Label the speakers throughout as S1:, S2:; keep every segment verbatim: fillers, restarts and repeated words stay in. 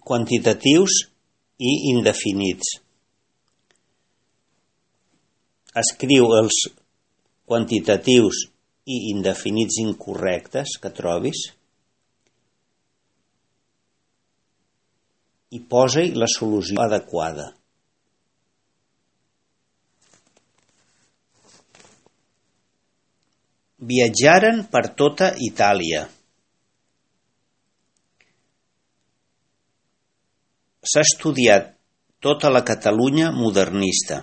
S1: quantitatius i indefinits. Escriu els quantitatius i indefinits incorrectes que trobis i posa-hi la solució adequada. Viatjaren per tota Itàlia. S'ha estudiat tota la Catalunya modernista.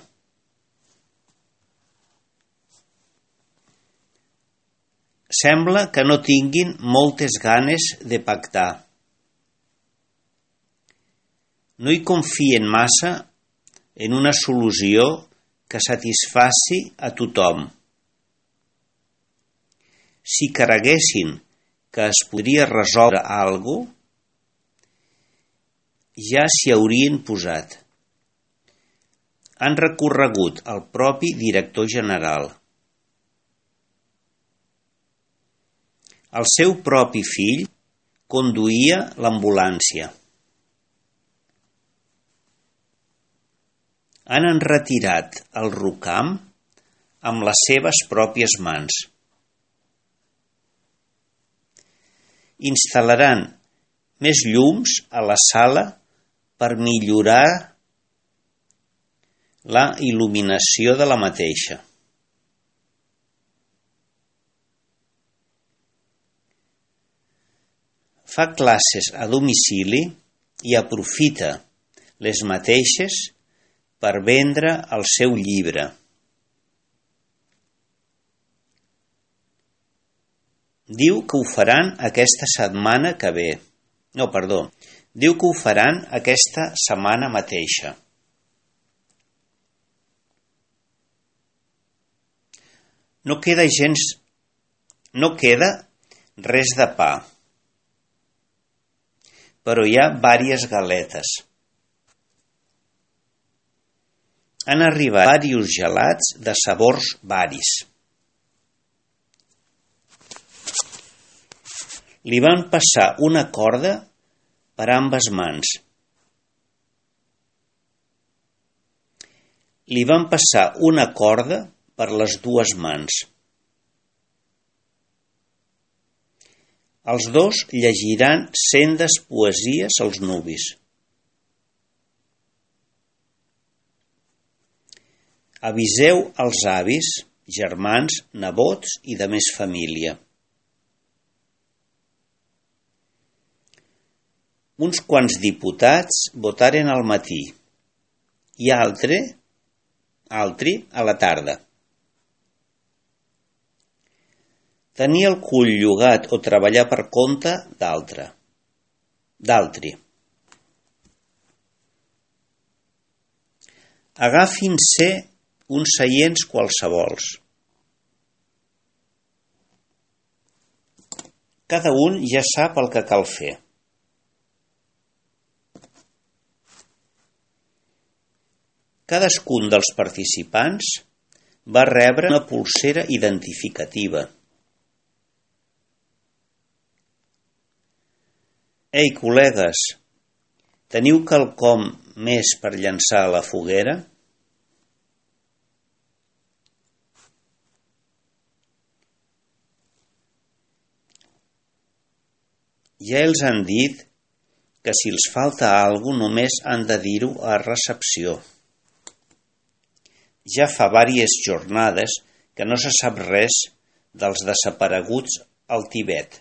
S1: Sembla que no tinguin moltes ganes de pactar. No hi confien massa en una solució que satisfaci a tothom. Si creguessin que es podria resoldre alguna cosa, ja s'hi haurien posat. Han recorregut al propi director general. El seu propi fill conduïa l'ambulància. Han enretirat el rucam amb les seves pròpies mans. Instal·laran més llums a la sala per millorar la il·luminació de la mateixa. Fa classes a domicili i aprofita les mateixes per vendre el seu llibre. Diu que ho faran aquesta setmana que ve. No, perdó. Diu que ho faran aquesta setmana mateixa. No queda gens... No queda res de pa, però hi ha vàries galetes. Han arribat vàrios gelats de sabors varis. Li van passar una corda per ambes mans. Li van passar una corda per les dues mans. Els dos llegiran sendes poesies als nuvis. Aviseu els avis, germans, nebots i de més família. Uns quants diputats votaren al matí i altre, altri a la tarda. Tenir el cul llogat o treballar per compte d'altre, d'altri. Agafin-se uns seients qualsevols. Cada un ja sap el que cal fer. Cadascun dels participants va rebre una polsera identificativa. Ei, col·legues, teniu quelcom més per llançar a la foguera? Ja els han dit que si els falta alguna cosa només han de dir-ho a recepció. Ja fa vàries jornades que no se sap res dels desapareguts al Tibet.